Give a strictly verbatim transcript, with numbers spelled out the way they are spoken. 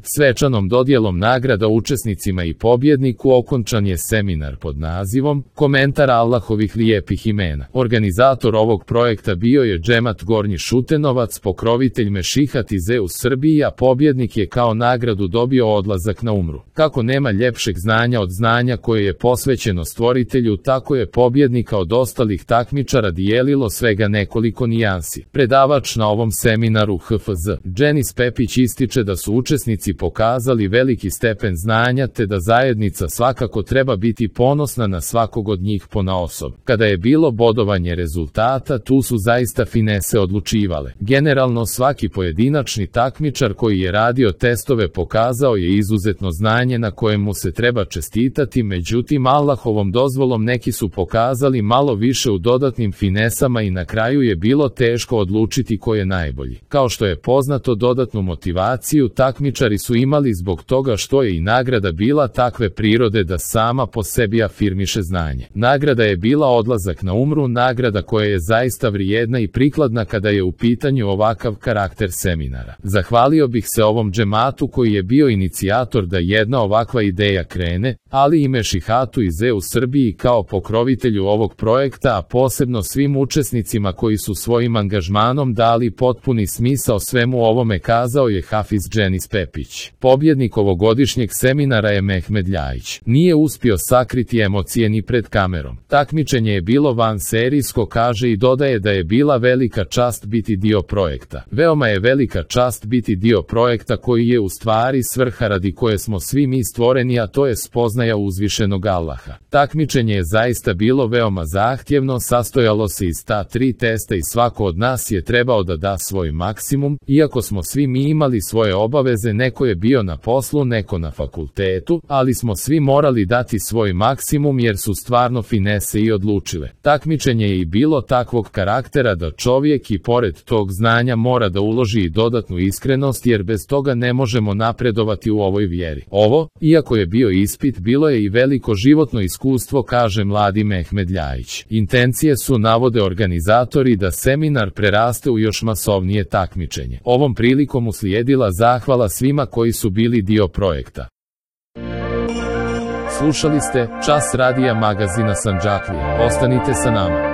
Svečanom dodjelom nagrada učesnicima i pobjedniku okončan je seminar pod nazivom Komentar Allahovih lijepih imena. Organizator ovog projekta bio je Džemat Gornji Šutenovac, pokrovitelj Mešihat Ize u Srbiji, a pobjednik je kao nagradu dobio odlazak na umru. Kako nema ljepšeg znanja od znanja koje je posvećeno stvoritelju, tako je pobjednika od ostalih takmičara dijelilo svega nekoliko nijansi. Predavač na ovom seminaru H F Z Dženis Pepić ističe da su učesnici pokazali veliki stepen znanja te da zajednica svakako treba biti ponosna na svakog od njih ponaosob. Kada je bilo bodovanje rezultata, tu su zaista finese odlučivale. Generalno svaki pojedinačni takmičar koji je radio testove pokazao je izuzetno znanje na kojemu se treba čestitati, međutim Allahovom dozvolom neki su pokazali malo više u dodatnim finesama i na kraju je bilo teško odlučiti ko je najbolji. Kao što je poznato, dodatnu motivaciju takmičari su imali zbog toga što je i nagrada bila takve prirode da sama po sebi afirmiše znanje. Nagrada je bila odlazak na umru, nagrada koja je zaista vrijedna i prikladna kada je u pitanju ovakav karakter seminara. Zahvalio bih se ovom džematu koji je bio inicijator da jedna ovakva ideja krene, ali i Mešihatu Ize u Srbiji kao pokrovitelju ovog projekta, a posebno svim učesnicima koji su svojim angažmanom dali potpuni smisao svemu ovome, kazao je Hafiz Dženis Pepić. Pobjednik ovogodišnjeg seminara je Mehmed Ljajić. Nije uspio sakriti emocije ni pred kamerom. Takmičenje je bilo vanserijsko, kaže, i dodaje da je bila velika čast biti dio projekta. Veoma je velika čast biti dio projekta koji je u stvari svrha radi koje smo svi mi stvoreni, a to je spoznaja uzvišenog Allaha. Takmičenje je zaista bilo veoma zahtjevno, sastojalo se iz ta tri testa i svako od nas je trebao da da svoj maksimum, iako smo svi mi imali svoje obaveze, neko je bio na poslu, neko na fakultetu, ali smo svi morali dati svoj maksimum jer su stvarno finese i odlučile. Takmičenje je i bilo takvog karaktera da čovjek i pored tog znanja mora da uloži i dodatnu iskrenost, jer bez toga ne možemo napredovati u ovoj vjeri. Ovo, iako je bio ispit, bilo je i veliko životno iskustvo, kaže mladi Mehmed Ljajić. Intencije su, navode organizatori, da seminar preraste u još masovnije takmičenje. Ovom prilikom uslijedila zahvala svima koji su bili dio projekta. Slušali ste Čas radija magazina Sandžaklije. Ostanite sa nama.